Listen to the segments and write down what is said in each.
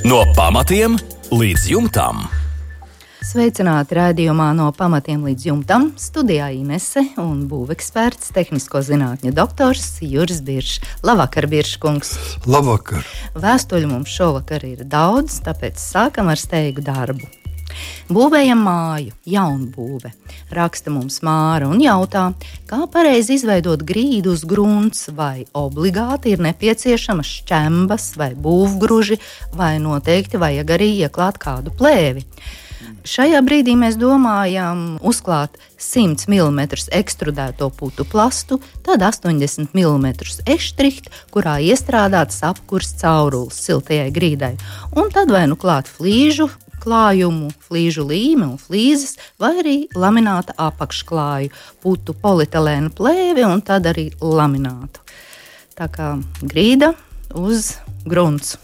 No pamatiem līdz jumtam. Sveicināti raidījumā No pamatiem līdz jumtam. Studijā Inese un būveksperts, tehnisko zinātņu doktors Juris Biršs. Labvakar, Birškungs. Labvakar. Vēstuļu mums šovakar ir daudz, tāpēc sākam ar steigu darbu. Būvējam māju, jaunbūve. Raksta mums Māra un jautā, kā pareizi izveidot grīdu uz grunts, vai obligāti ir nepieciešamas šķembas vai būvgruži, vai noteikti vajag arī ieklāt kādu plēvi. Šajā brīdī mēs domājam uzklāt 100 mm ekstrudēto putu plastu, tad 80 mm eštriht, kurā iestrādāts apkurs caurulis siltajai grīdai, un tad vai nu klāt flīžu klājumu, flīžu līmi un flīzes, vai arī lamināta apakšklāju, putu polietilēna plēvi un tad arī laminātu. Tā kā grīda uz grunts.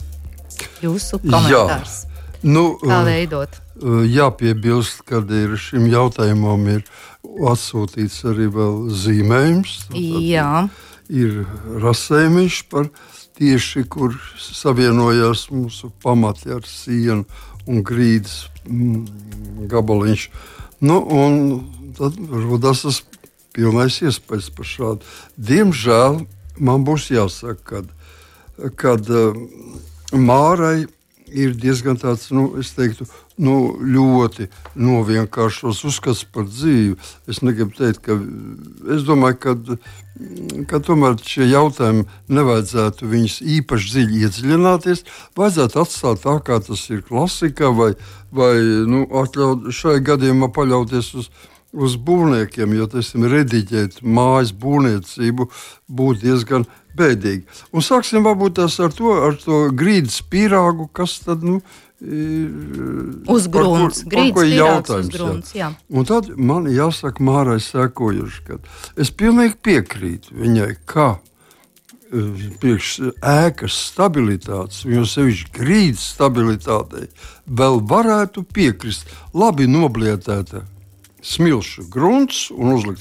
Jūsu komentārs. Kā veidot? Jāpiebilst, kad šim jautājumam ir atsūtīts arī vēl zīmējums. Jā. Ir rasējumiņš par tieši, kur savienojās mūsu pamati ar sienu un grīdas gabaliņš. Un tad rodas tas pilnais iespējas par šādu. Diemžēl man būs jāsaka, kad Mārai ir diezgan tāds, es teiktu, ļoti novienkāršos uzskats par dzīvi. Es negribu teikt, es domāju, ka tomēr šie jautājumi nevajadzētu viņus īpaši dziļi iedziļināties, vajadzētu atstāt tā, kā tas ir klasikā, vai atļaut šai gadījumā paļauties uz būvniekiem, jo, teiksim, rediģēt mājas būvniecību būtu diezgan bēdīgi. Un sāksim varbūt tās ar to grīdas pīrāgu, kas tad, uz grunts, grīdas pīrāgs uz grunts, jā. Un tad man jāsaka Mārai sekojuši, ka es pilnīgi piekrītu viņai, ka priekš ēkas stabilitātes, jo sevišķi grīdas stabilitātei, vēl varētu piekrist labi noblietēta smilšu grunts un uzlikt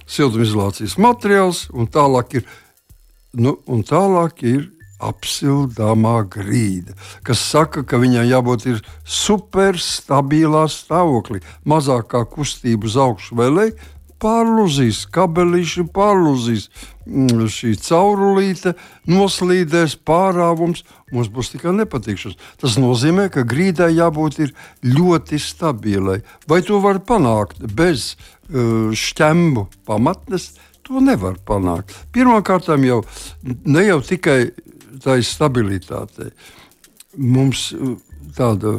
siltumizolācijas materiāls, un tālāk ir apsildāmā grīda, kas saka, ka viņai jābūt ir superstabilā stāvoklī, mazākā kustība uz augšu vai leju, pārlūzīs kabelīši, pārlūzīs šī caurulīte, noslīdēs pārāvums, mums būs tikai nepatikšanas. Tas nozīmē, ka grīdai jābūt ir ļoti stabilai. Vai to var panākt bez šķembu pamatnes? To nevar panākt. Pirmkārt, ne jau tikai tā stabilitāte. Mums tāda,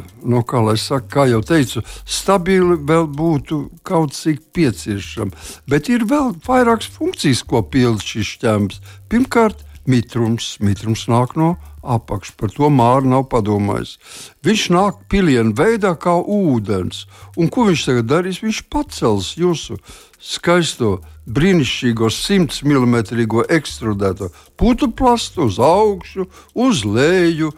kā jau teicu, stabili vēl būtu kaut cik pieciešama. Bet ir vēl vairākas funkcijas, ko pilda šis šķembs. Pirmkārt, mitrums. Mitrums nāk no apakšas. Par to Māra nav padomājis. Viņš nāk pilienu veidā kā ūdens. Un ko viņš tagad darīs? Viņš pacels jūsu skaisto, brīnišķīgo 100 mm ekstrudēto putu plastu uz augšu, uz leju.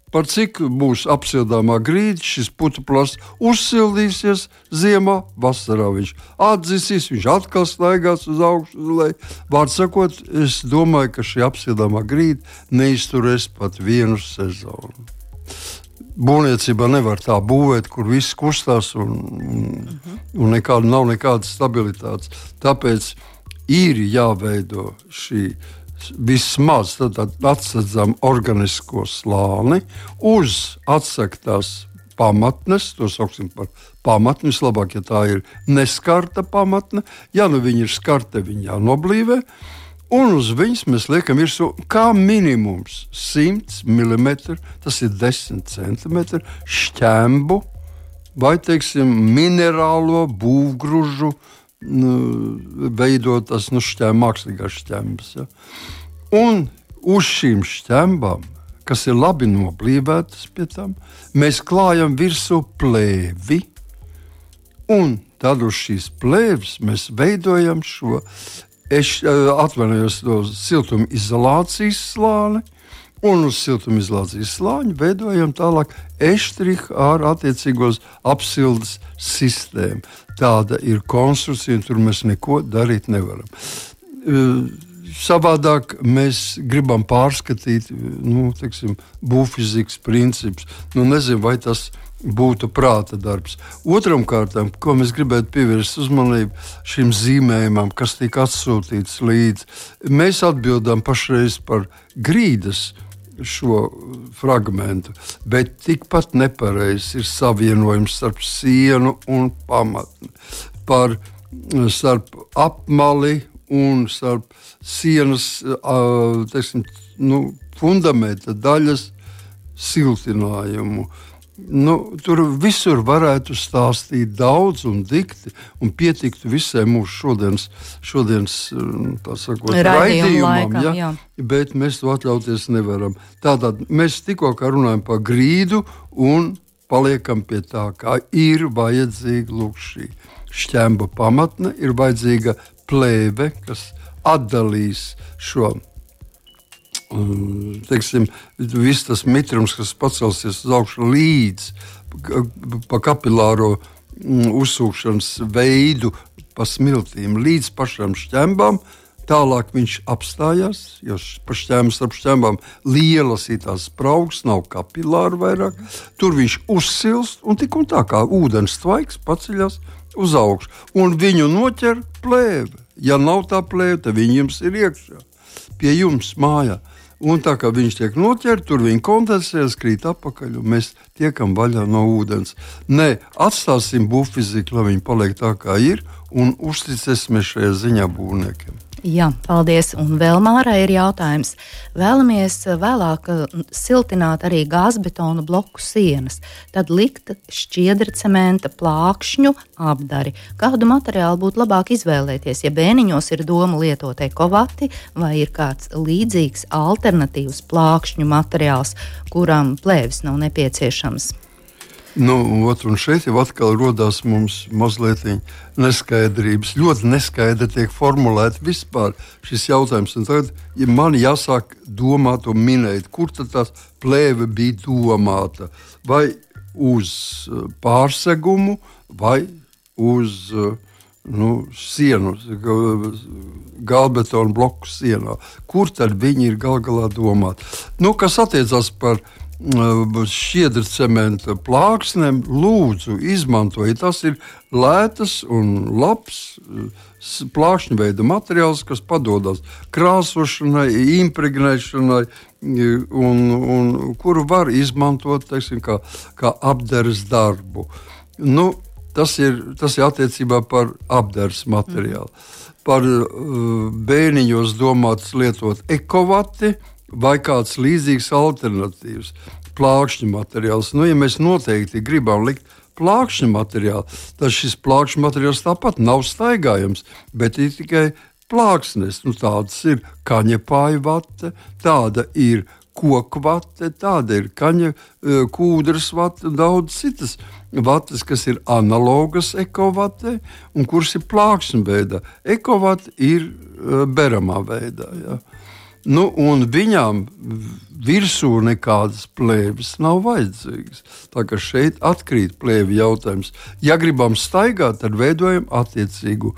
Par cik būs apsildāmā grīda, šis putu plasts uzsildīsies ziemā, vasarā viņš atdzisīs, viņš atkal staigās uz augšu, uz leju. Vārds sakot, es domāju, ka šī apsildāmā grīda neizturēs pat vienu sezonu. Būvniecībā nevar tā būvēt, kur viss kustās un nav nekādas stabilitātes. Tāpēc ir jāveido šī vismaz atsedzam organisko slāni uz atsektās pamatnes, to sauksim par pamatni, vislabāk, ja tā ir neskarta pamatne. Ja viņa ir skarta, viņa jānoblīvē. Un uz viņas mēs liekam virsū kā minimums 100 mm, tas ir 10 cm šķembu vai, teiksim, minerālo būvgružu veidotas mākslīgās šķembas. Ja? Un uz šīm šķembām, kas ir labi noblīvētas pie tam, mēs klājam virsū plēvi. Un tad uz šīs plēves mēs veidojam šo to siltumizolācijas slāni, un uz siltumizolācijas slāņa veidojam tālāk eštrihu ar attiecīgos apsildes sistēmu. Tāda ir konstrukcija, un tur mēs neko darīt nevaram. savādāk mēs gribam pārskatīt būvfizikas principus. Nezinu, vai tas būtu prāta darbs. Otram kārtām, ko mēs gribētu pievērst uzmanību šim zīmējumam, kas tika atsūtīts līdzi, mēs atbildam pašreiz par grīdas šo fragmentu, bet tikpat nepareizs ir savienojums starp sienu un pamatni, starp apmali un starp sienas fundamenta daļas siltinājumu. Tur visur varētu stāstīt daudz un dikti, un pietiktu visai mūsu šodienas raidījumam, jā. Bet mēs to atļauties nevaram. Tātad mēs tikko runājam par grīdu un paliekam pie tā, kā ir vajadzīga šī šķemba pamatne, ir vajadzīga plēve, kas atdalīs šo viss tas mitrums, kas pacelsies uz augšu līdz pa kapilāro uzsūkšanas veidu, pa smiltīm, līdz pašām šķembām. Tālāk viņš apstājās, jo starp šķembām lielas ir tās spraugas, nav kapilāru vairāk. Tur viņš uzsilst un tik un tā kā ūdens tvaiks paceļas uz augšu. Un viņu noķer plēve. Ja nav tā plēve, tad viņi jums ir iekšā, pie jums mājā. Un tā kā viņš tiek noķerts, tur viņi kondensējas, krīt atpakaļ, un mēs tiekam vaļā no ūdens. Nē, atstāsim būvfiziku, lai viņi paliek tā, kā ir, un uzticēsimies šajā ziņā būvniekiem. Jā, paldies. Un vēl Mārai ir jautājums. Vēlamies vēlāk siltināt arī gāzbetona bloku sienas, tad likt šķiedrcementa plākšņu apdari. Kādu materiālu būtu labāk izvēlēties, ja bēniņos ir doma lietot ekovati vai ir kāds līdzīgs alternatīvs plākšņu materiāls, kuram plēvis nav nepieciešams? Un šeit jau atkal rodās mums mazliet neskaidrības. Ļoti neskaidri tiek formulēti vispār šis jautājums. Un tagad man jāsāk domāt un minēt, kur tad tās plēve bija domāta. Vai uz pārsegumu, vai uz sienu, gāzbetona bloku sienā. Kur tad viņi ir gal galā domāti? Kas attiecās par šķiedra cementa plāksnēm, lūdzu, izmantojiet. Tas ir lētas un labs plākšņu veida materiāls, kas padodas krāsošanai, impregnēšanai, un kuru var izmantot, teiksim, kā apdares darbu. Tas ir attiecībā par apdares materiālu. Par bēniņos domāts lietot ekovati, vai kāds līdzīgs alternatīvs plākšņu materiāls. Ja mēs noteikti gribam likt plākšņu materiālu, tad šis plākšņu materiāls tāpat nav staigājams, bet ir tikai plāksnes. Tādas ir kaņepāju vate, tāda ir koku vate, tāda ir kūdras vate un daudz citas vates, kas ir analogas ekovate un kuras ir plākšņu veidā. Ekovate ir beramā veidā, jā. Un viņām virsū nekādas plēves nav vajadzīgas. Tā kā šeit atkrīt plēvi jautājums. Ja gribam staigāt, tad veidojam attiecīgu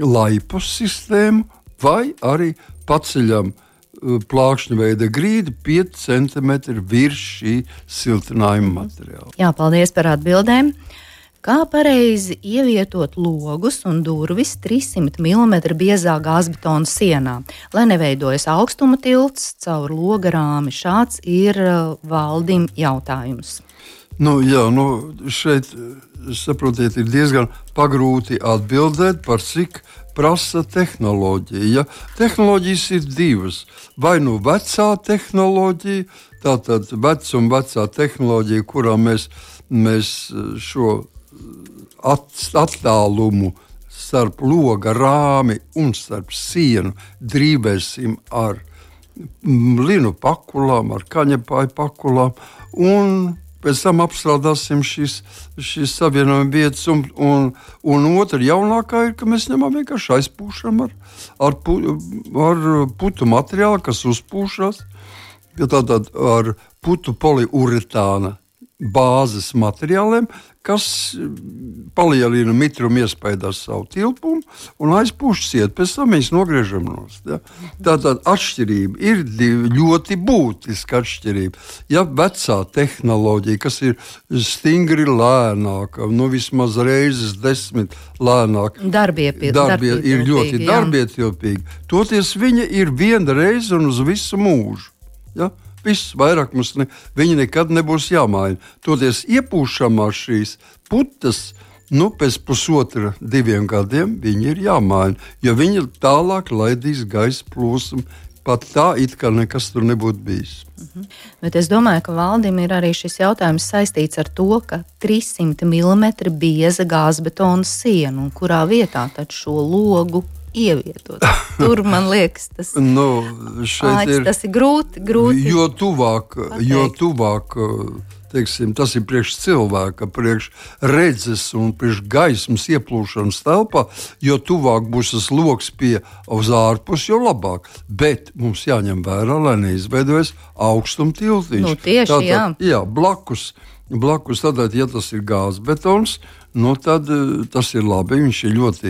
laipu sistēmu vai arī paceļam plākšņu veida grīdu 5 cm virs šī siltinājuma materiāla. Jā, paldies par atbildēm. Kā pareizi ievietot logus un durvis 300 mm biezā gāzbetona sienā, lai neveidojas augstuma tilts caur loga rāmi? Šāds ir Valdim jautājums. Šeit, saprotiet, ir diezgan pagrūti atbildēt, par cik prasa tehnoloģija. Ja? Tehnoloģijas ir divas. Vai vecā tehnoloģija, tātad vecā tehnoloģija, kurā mēs šo attālumu starp loga rāmi un starp sienu drīvēsim ar linu pakulām, ar kaņepāju pakulām, un pēc tam apstrādāsim šīs savienojuma vietas. Un otra jaunākā ir, ka mēs ņemam vienkārši aizpūšam ar putu materiālu, kas uzpūšas, tātad ar putu poliuretāna bāzes materiāliem, kas palielina mitrumu iespējās savu tilpumu un aizpūš ciet, pēc tam mēs nogriežam nost. Ja? Tātad atšķirība ir ļoti būtiska atšķirība. Ja vecā tehnoloģija, kas ir stingri lēnāka, vismaz reizes 10 lēnāka, ir ļoti darbietilpīga, toties viņa ir viena reize un uz visu mūžu. Ja? Viss vairāk mums viņi nekad nebūs jāmaina. Toties iepūšamās šīs putas, pēc 1,5–2 gadiem viņi ir jāmaina, jo viņi tālāk laidīs gaisa plūsmu, pat tā it kā nekas tur nebūtu bijis. Bet es domāju, ka Valdim ir arī šis jautājums saistīts ar to, ka 300 mm bieza gāzbetona siena, un kurā vietā tad šo logu ievietot. Tur man liekas, tas ir grūti. Jo tuvāk teiksim, tas ir priekš cilvēka, priekš redzes un priekš gaismas ieplūšanas telpā, jo tuvāk būs tas loks uz ārpus, jo labāk. Bet mums jāņem vērā, lai neizveidojas augstuma tiltiņš. Tieši, jā, blakus, tātad, ja tas ir gāzbetons, tad tas ir labi. Viņš ir ļoti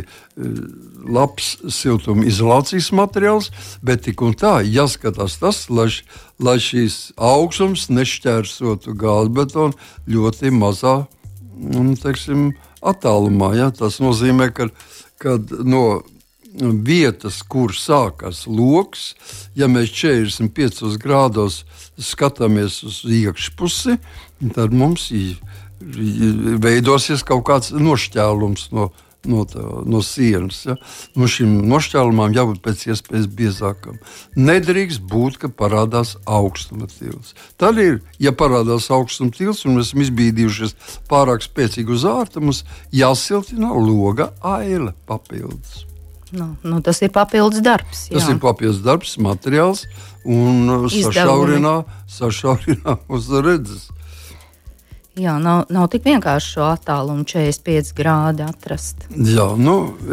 labs siltuma izolācijas materiāls, bet tik un tā jāskatās tas, lai šīs augstums nešķērsotu gāzbetonu ļoti mazā attālumā. Ja? Tas nozīmē, ka no vietas, kur sākas loks, ja mēs 45 grādos skatāmies uz iekšpusi, tad mums veidosies kaut kāds nošķēlums no sienas. Ja? Šim nošķēlumam jābūt pēc iespējas biezākam. Nedrīkst būt, ka parādās augstuma tilts. Tad ja parādās augstuma tilts un mēs esam izbīdījušies pārāk spēcīgi uz ārta, mums jāsiltina loga aile papildus. Tas ir papildus darbs. Jā. Tas ir papildus darbs, materiāls un sašaurinā uz redzes. Jā, nav tik vienkārši šo attālumu 45 grādi atrast. Jā,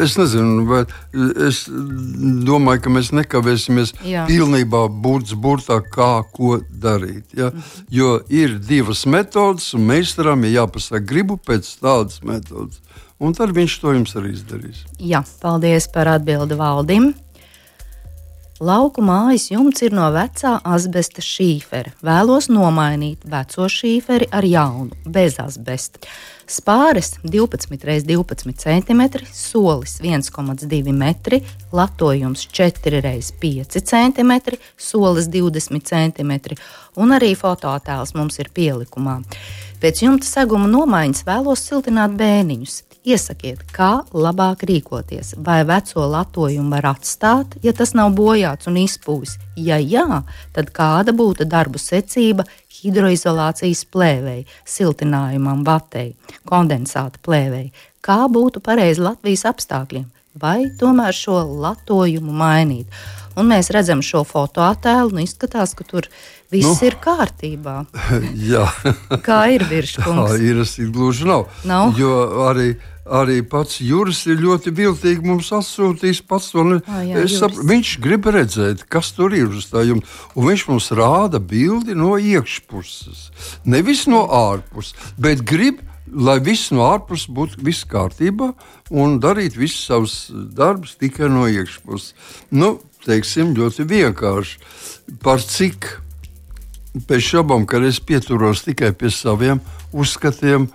es nezinu, bet es domāju, ka mēs nekavēsimies pilnībā burtā, ko darīt. Ja? Jo ir divas metodas, un meistaram ir jāpasaka, gribu pēc tādas metodas. Un tad viņš to jums arī izdarīs. Jā, paldies par atbildi Valdim. Lauku mājas jumts ir no vecā asbesta šīfera. Vēlos nomainīt veco šīferi ar jaunu, bez asbesta. Spāres 12x12 cm, solis 1,2 metri, latojums 4x5 cm, solis 20 cm, un arī fotoattēls mums ir pielikumā. Pēc jumta seguma nomaiņas vēlos siltināt bēniņus. Iesakiet, kā labāk rīkoties, vai veco latojumu var atstāt, ja tas nav bojāts un izpūs. Ja jā, tad kāda būtu darbu secība hidroizolācijas plēvei, siltinājumam vatei, kondensāta plēvei? Kā būtu pareizi Latvijas apstākļiem? Vai tomēr šo latojumu mainīt? Un mēs redzam šo fotoattēlu un izskatās, ka tur viss ir kārtībā. Jā. Kā ir, Virškungs? Tā ir, es gluži nav. Jo arī pats Juris ir ļoti viltīgi mums atsūtījis pats to. Viņš grib redzēt, kas tur ir uz tā jumta. Un viņš mums rāda bildi no iekšpuses. Nevis no ārpuses, bet grib, lai viss no ārpuses būtu viss kārtībā un darīt visus savus darbus tikai no iekšpuses. Teiksim, ļoti vienkārši. Par cik pēc šabam, kad es pieturos tikai pie saviem uzskatiem,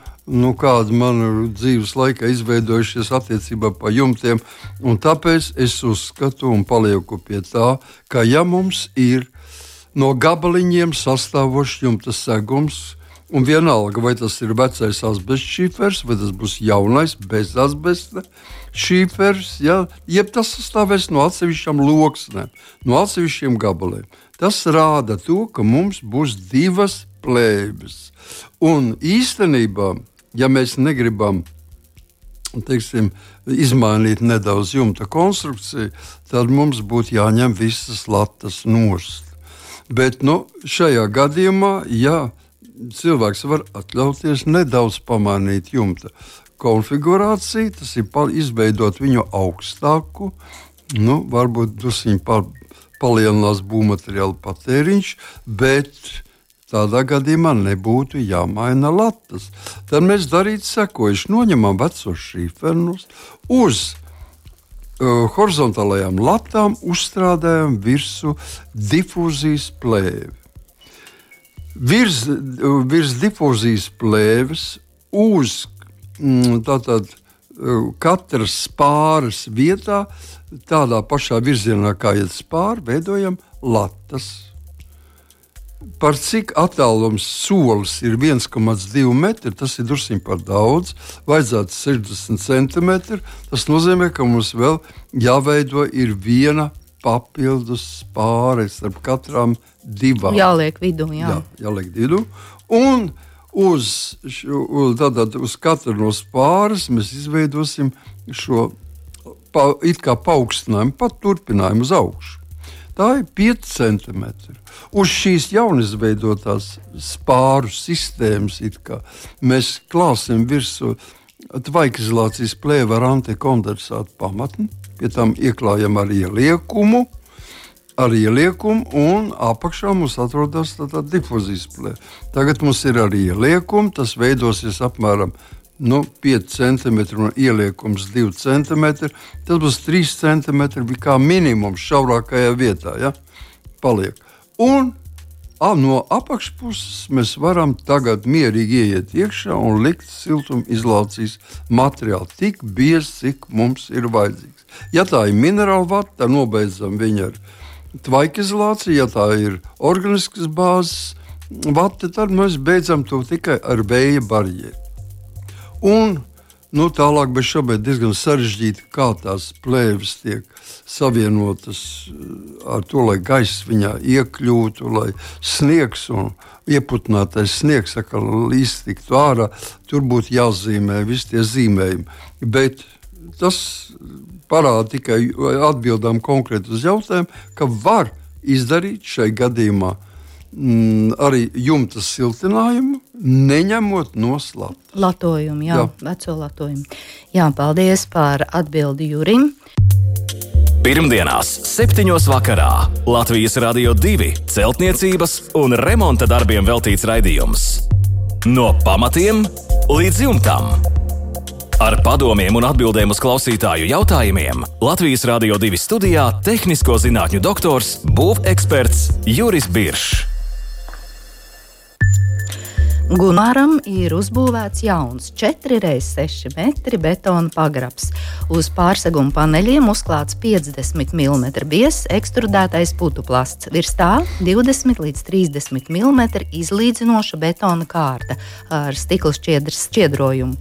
kāda man dzīves laikā izveidojušies attiecībā par jumtiem, un tāpēc es uzskatu un palieku pie tā, ka ja mums ir no gabaliņiem sastāvošs jumta segums, un vienalga, vai tas ir vecais asbesta šīfers, vai tas būs jaunais bez asbesta šīfers, jeb tas sastāvēs no atsevišķām loksnēm, no atsevišķiem gabaliem. Tas rāda to, ka mums būs divas plēves. Un īstenībā, ja mēs negribam, izmainīt nedaudz jumta konstrukciju, tad mums būtu jāņem visas latas nost. Bet šajā gadījumā, ja cilvēks var atļauties nedaudz pamainīt jumta konfigurāciju, tas ir izveidot viņu augstāku, varbūt drusciņi palielinās būvmateriālu patēriņš, bet tādā gadījumā nebūtu jāmaina latas. Tad mēs darītu sekojuši. Noņemam vecos šīfernus, uz horizontālajām latām uzstrādājam virsū difūzijas plēvi. Virs difūzijas plēves uz katras spāres vietā, tādā pašā virzienā kā iet spāri, veidojam latas. Par cik attālums solis ir 1,2 metri, tas ir drusciņ par daudz, vajadzētu 60 centimetri. Tas nozīmē, ka mums vēl jāveido ir viena papildus spāre starp katrām divām. Jāliek vidū, jāliek vidū. Un uz katru no spāres mēs izveidosim šo it kā paaugstinājumu, pat turpinājumu uz augšu. Tā ir 5 centimetri. Uz šīs jaunizveidotās spāru sistēmas mēs klāsim virsū tvaikizolācijas plēvi ar antikondensātu pamatni, pie tam ieklājam ar ieliekumu, un apakšā mums atrodas difūzijas plēve. Tagad mums ir arī ieliekumi, tas veidosies apmēram 5 cm un ieliekums 2 cm. Tas būs 3 cm kā minimums šaurākajā vietā. Ja? Paliek. Un no apakšpuses mēs varam tagad mierīgi ieiet iekšā un likt siltumizolācijas materiālu tik biezi, cik mums ir vajadzīgs. Ja tā ir minerāla vata, tad nobeidzam viņu ar tvaikizolāciju. Ja tā ir organiskas bāzes vata, tad mēs beidzam to tikai ar vēja barjeru. Un tālāk, bet šobrīd diezgan sarežģīti, kā tās plēves tiek savienotas ar to, lai gaiss viņā iekļūtu, lai sniegs un ieputinātais sniegs iztiktu ārā. Tur būtu jāzīmē visi tie zīmējumi. Bet tas parāda tikai atbildām konkrēti uz jautājumu, ka var izdarīt šai gadījumā arī jumta siltinājumu, neņemot no slatas. Latojumu, veco latojumu. Jā, paldies par atbildi Jurim. Pirmdienās 7. vakarā Latvijas Radio 2 celtniecības un remonta darbiem veltīts raidījums. No pamatiem līdz jumtam. Ar padomiem un atbildēm uz klausītāju jautājumiem Latvijas Radio 2 studijā tehnisko zinātņu doktors, būveksperts Juris Biršs. Gunāram ir uzbūvēts jauns 4x6 metri betona pagrabs. Uz pārseguma paneļiem uzklāts 50 mm biezs ekstrudētais putuplasts. Virs tā 20 līdz 30 mm izlīdzinoša betona kārta ar stikla šķiedrojumu.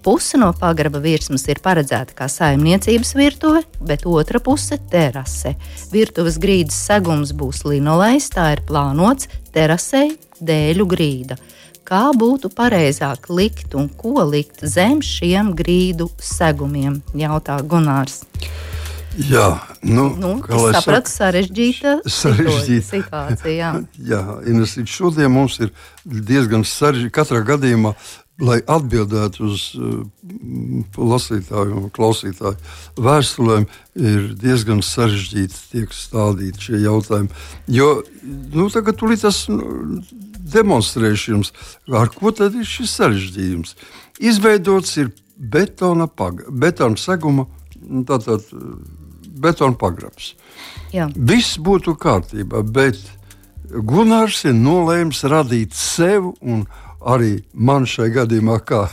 Puse no pagraba virsmas ir paredzēta kā saimniecības virtuve, bet otra puse – terase. Virtuves grīdas segums būs linolejs, tā ir plānots terasei dēļu grīda. Kā būtu pareizāk likt un ko likt zem šiem grīdu segumiem, jautā Gunārs. Jā, sapratu, sarežģīta situācija. Jā, Ines, šodien mums ir diezgan sarežģīta katrā gadījumā, lai atbildētu uz lasītāju un klausītāju vēstulēm, ir diezgan sarežģīti tiek stādīti šie jautājumi. Jo, tagad tūlīt tas demonstrēšu jums, ar ko tad ir šis sarežģījums. Izveidots ir betona seguma, betona pagrabs. Jā. Viss būtu kārtībā, bet Gunārs ir nolēms radīt sev un arī man šai gadījumā, kā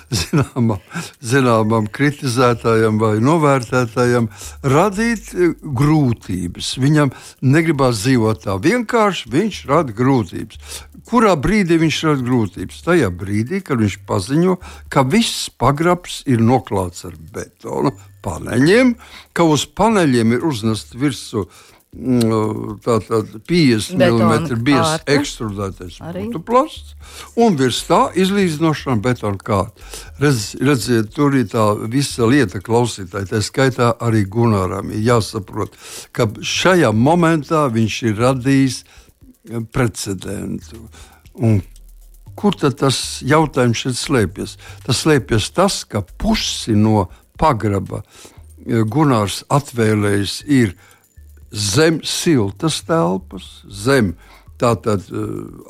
zināmam kritizētājam vai novērtētājam, radīt grūtības. Viņam negribās dzīvot tā vienkārši, viņš rada grūtības. Kurā brīdī viņš rada grūtības? Tajā brīdī, kad viņš paziņo, ka viss pagrabs ir noklāts ar betona paneļiem, ka uz paneļiem ir uznest virsū 50 mm biezs ekstrudētais putuplasts, un virs tā izlīdzinošana betona kārta. Redziet, tur ir tā visa lieta klausītāji, tā skaitā arī Gunāram ir jāsaprot, ka šajā momentā viņš ir radījis precedentu. Un kur tad tas jautājums šeit slēpjas? Tas slēpjas tas, ka pusi no pagraba Gunārs atvēlējis ir zem siltas telpas, zem Tātad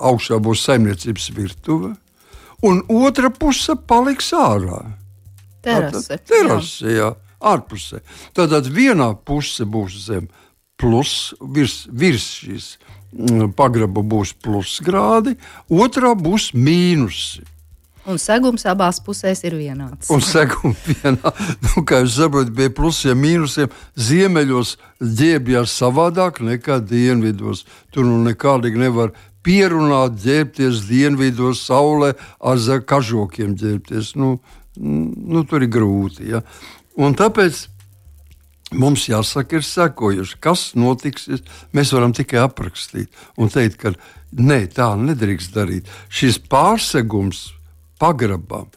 augšā būs saimniecības virtuve, un otra puse paliks ārā. Terase, jā, ārpusē. Tātad vienā puse būs zem plus, virs šīs pagraba būs plusgrādi, otrā būs mīnusi. Un segums abās pusēs ir vienāds. Un segums kā jūs saprotat, pie plusiem, mīnusiem ziemeļos ģērbjās savādāk nekā dienvidos. Tur nekādīgi nevar pierunāt ģērbties dienvidos saulē ar kažokiem ģērbties. Tur ir grūti. Ja? Un tāpēc mums jāsaka ir sekojuši, kas notiks. Mēs varam tikai aprakstīt un teikt, ka nē, tā nedrīkst darīt. Šis pārsegums pagrabām,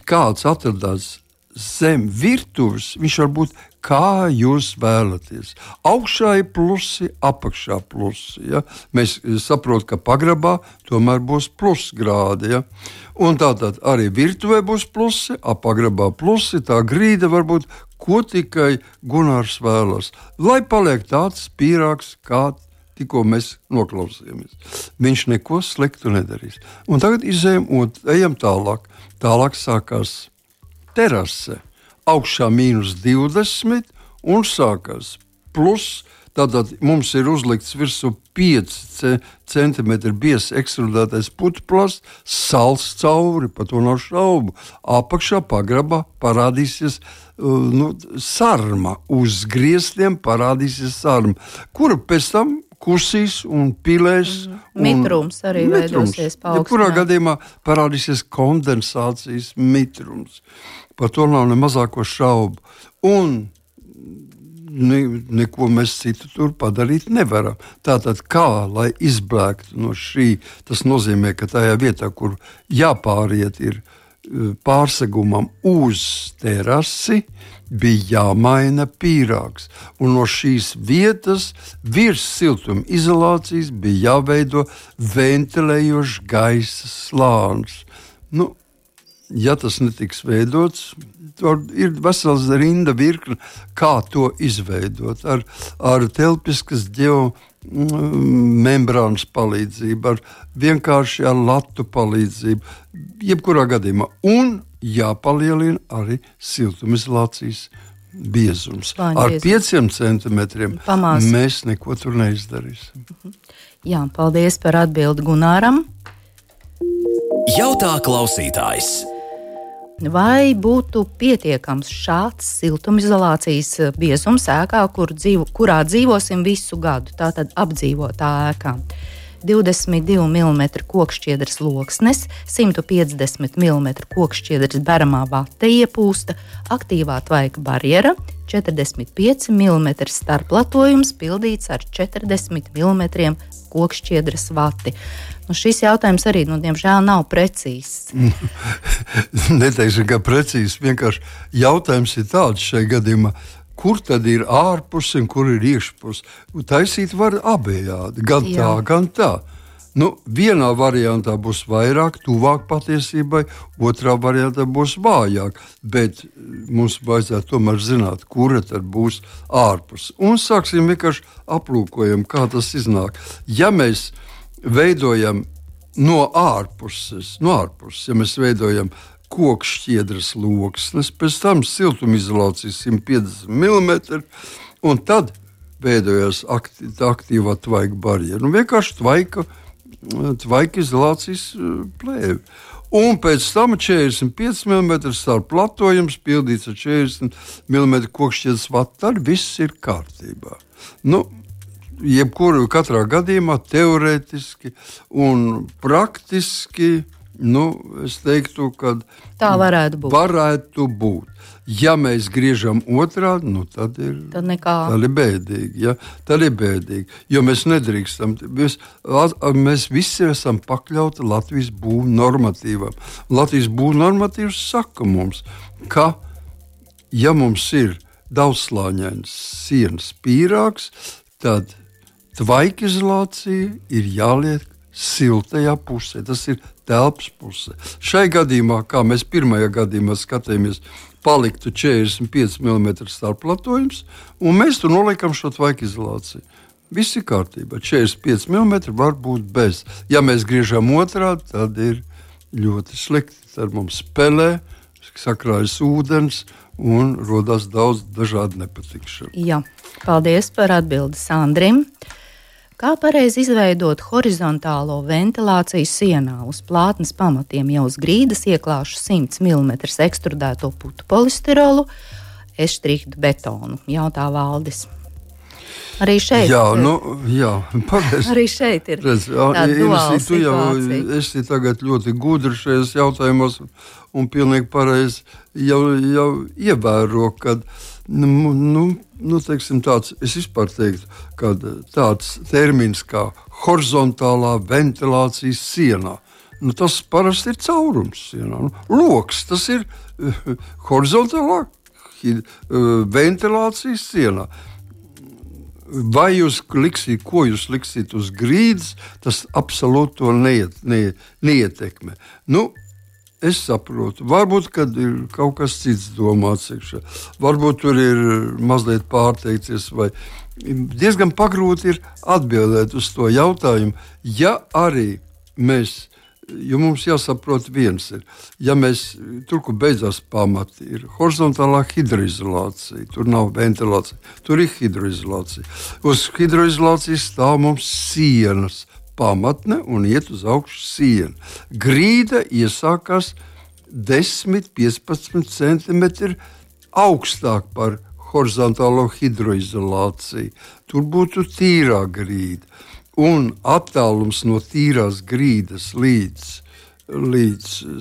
kāds atradās zem virtuves, viņš var būt kā jūs vēlaties. Augšā ir plusi, apakšā plusi. Ja? Mēs saprotam, ka pagrabā tomēr būs plusgrādi. Ja? Un tātad arī virtuvē būs plusi, pagrabā plusi, tā grīda var būt, ko tikai Gunārs vēlas. Lai paliek tāds pīrāgs, kā tikko mēs noklausījāmies. Viņš neko sliktu nedarīs. Un tagad ejam tālāk. Tālāk sākās terase. Augšā -20 un sākās plus. Tātad mums ir uzlikts virsū 5 centimetri biezs ekstrudētais putekļs, sals cauri, par to nav šaubu. Apakšā pagrabā parādīsies sarma. Uz griestiem parādīsies sarma, kura pēc tam kusīs un pilēs. Mitrums arī veidosies paaugstināt. Kurā gadījumā parādīsies kondensācijas mitrums. Par to nav ne mazāko šaubu. Un neko mēs citu tur padarīt nevaram. Tātad kā, lai izblēktu no šī, tas nozīmē, ka tajā vietā, kur jāpāriet ir pārsegumam uz terasi, bija jāmaina pīrāgs. Un no šīs vietas virs siltuma izolācijas bija jāveido ventilējošs gaisa slānis. Ja tas netiks veidots, tad ir vesels rinda virkne, kā to izveidot. Ar telpiskas geomembrānas palīdzību, ar vienkārši ar latu palīdzību, jebkurā gadījumā. Un jāpalielina arī siltumizolācijas biezums. Ar 5 centimetriem mēs neko tur neizdarīsim. Jā, paldies par atbildi Gunāram. Jautā klausītājs. Vai būtu pietiekams šāds siltumizolācijas biezums ēkā, kurā dzīvosim visu gadu, tātad apdzīvotā ēkā? 22 mm kokšķiedras loksnes, 150 mm kokšķiedras beramā vate iepūsta, aktīvā tvaika barjera, 45 mm starplatojums pildīts ar 40 mm kokšķiedras vati. Šis jautājums arī, diemžēl, nav precīzs. Neteikšu, ka precīzs. Vienkārši jautājums ir tāds šajā gadījumā, kur tad ir ārpuse un kur ir iekšpuse. Taisīt var abējādi, gan tā, gan tā. Vienā variantā būs vairāk, tuvāk patiesībai, otrā variantā būs vājāk, bet mums vajadzētu tomēr zināt, kura tad būs ārpuse. Un sāksim vienkārši aplūkojam, kā tas iznāk. Ja mēs veidojam no ārpuses, ja mēs veidojam kokšķiedras loksnes, pēc tam siltumizolācijas 150 mm, un tad veidojas aktīvā tvaika barjera. Vienkārši tvaika izolācijas plēve. Un pēc tam 45 mm starplatojums pildīts ar 40 mm kokšķiedras vatu, tad viss ir kārtībā. Katrā gadījumā teorētiski un praktiski, es teiktu, ka tā varētu būt. Ja mēs griežam otrādi, tad ir bēdīgi. Ja? Tad ir bēdīgi, jo mēs nedrīkstam. Mēs visi esam pakļauti Latvijas būvnormatīvam. Latvijas būvnormatīvs saka mums, ka, ja mums ir daudzslāņains sienas pīrāgs, tad tvaika izolācija ir jāliek siltajā pusē. Tas ir telpas pusē. Šai gadījumā, kā mēs pirmajā gadījumā skatījāmies, paliktu 45 mm starplatojums, un mēs tur noliekam šo tvaika izolāciju. Viss ir kārtībā. 45 mm var būt bez. Ja mēs griežam otrādi, tad ir ļoti slikti. Tad mums spēlē, sakrājas ūdens un rodas daudz dažādu nepatikšanu. Jā, paldies par atbildi Sandrim. Kā pareizi izveidot horizontālo ventilāciju sienā? Uz plātnes pamatiem jau uz grīdas ieklāšu 100 mm ekstrudēto putu polistirolu, eštrihtu betonu, jautā Valdis. Arī šeit pareizi. Arī šeit ir tāda duāla situācija. Es tagad ļoti gudri šajos jautājumos un pilnīgi pareizi jau ievēro, kad teiksim tāds, es vispār teiktu, kad tāds termins kā horizontālā ventilācijas sienā. Tas parasti ir caurums sienā. Loks, tas ir horizontālā ventilācijas sienā. Vai jūs liksiet, ko jūs liksiet uz grīdas, tas absolūti to neietekmē. Es saprotu, varbūt, kad ir kaut kas cits domāts iekšā. Varbūt tur ir mazliet pārteikties, vai diezgan pagrūti ir atbildēt uz to jautājumu. Ja arī mēs, jo mums jāsaprot viens ir, ja mēs, tur, kur beidzās pamati, ir horizontālā hidroizolācija, tur nav ventilācija, tur ir hidroizolācija. Uz hidroizolācijas stāv mums sienas, pamatne un iet uz augšu siena. Grīda iesākās 10-15 cm augstāk par horizontālo hidroizolāciju. Tur būtu tīrā grīda. Un attālums no tīrās grīdas līdz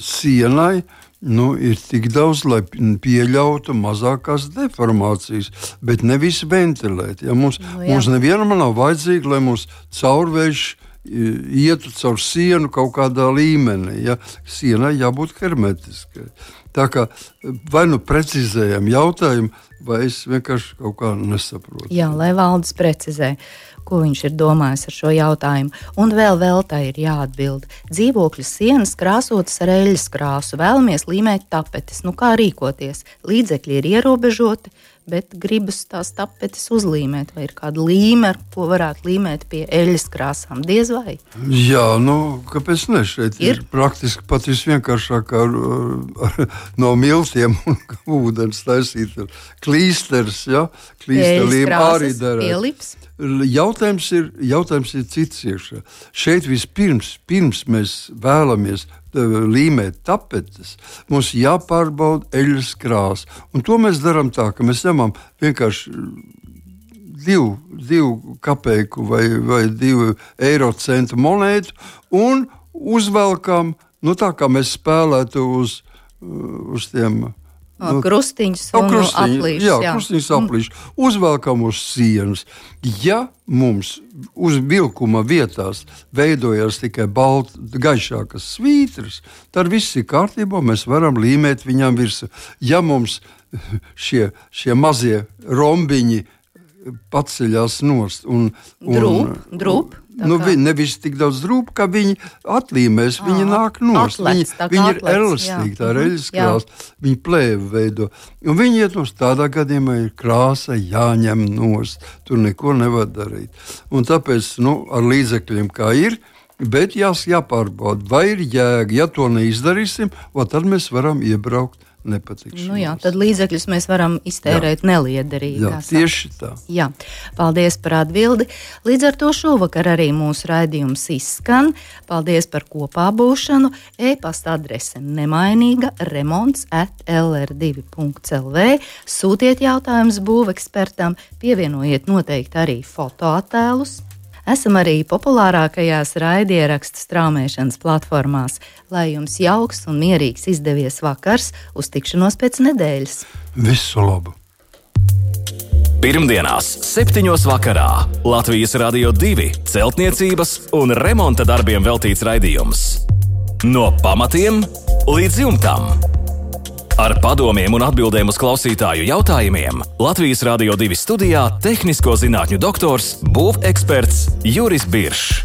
sienai ir tik daudz, lai pieļautu mazākās deformācijas, bet nevis ventilēt. Ja mums nevienam nav vajadzīgi, lai mums caurvējš ietu caur sienu kaut kādā līmenī. Ja? Sienai jābūt hermetiskai. Tā kā vai precizējam jautājumu, vai es vienkārši kaut kā nesaprotu. Jā, lai Valdis precizē, ko viņš ir domājis ar šo jautājumu. Un vēl tā ir jāatbild. Dzīvokļu sienas krāsotas ar eļļas krāsu, vēlamies līmēt tapetes. Kā rīkoties? Līdzekļi ir ierobežoti, bet gribas tās tapetes uzlīmēt. Vai ir kāda līme, ar ko varētu līmēt pie eļļas krāsām? Diez vai? Jā, kāpēc ne? Šeit ir praktiski pat visvienkāršāk no miltiem un ūdens taisīt klīsters, ja? Klīsterlīme arī derēt. Jautājums ir cits iekšā. Šeit pirms mēs vēlamies līmēt tapetes, mums jāpārbauda eļļas krāsa. Un to mēs darām tā, ka mēs ņemam vienkārši 2 kapeiku vai 2 eiro centu monētu un uzvelkam, tā kā mēs spēlētu uz tiem krustiņus un aplīšus. Jā, krustiņus aplīšus. Uzvelkam uz sienas. Ja mums uz vilkuma vietās veidojas tikai gaišākas svītras, tad viss ir kārtībā, mēs varam līmēt viņām virsū. Ja mums šie mazie rombiņi paceļās nost un drūp. Nevis tik daudz drūp, kā viņi atlīmēs, viņi nāk nost. Viņi ir elastīgi, tā ir eļļas krāsa, viņi plēvi veido. Un viņi iet nost, tādā gadījumā ir krāsa jāņem nost, tur neko nevar darīt. Un tāpēc, ar līdzekļiem kā ir, bet jāpārbauda, vai ir jēga, ja to neizdarīsim, tad mēs varam iebraukt nepatikšanos. Tad līdzekļus mēs varam iztērēt neliederīgi. Jā, tieši tā. Jā, paldies par atbildi. Līdz ar to šovakar arī mūsu raidījums izskan. Paldies par kopā būšanu. E-pasta adrese nemainīga remonts@lr2.lv. Sūtiet jautājumus būvekspertam, pievienojiet noteikti arī fotoattēlus. Esam arī populārākajās raidierakstu straumēšanas platformās. Lai jums jauks un mierīgs izdevies vakars, uz tikšanos pēc nedēļas. Visu labu! Pirmdienās 7. vakarā Latvijas Radio 2 celtniecības un remonta darbiem veltīts raidījums. No pamatiem līdz jumtam. Ar padomiem un atbildēm uz klausītāju jautājumiem Latvijas Radio 2 studijā tehnisko zinātņu doktors, būveksperts Juris Biršs.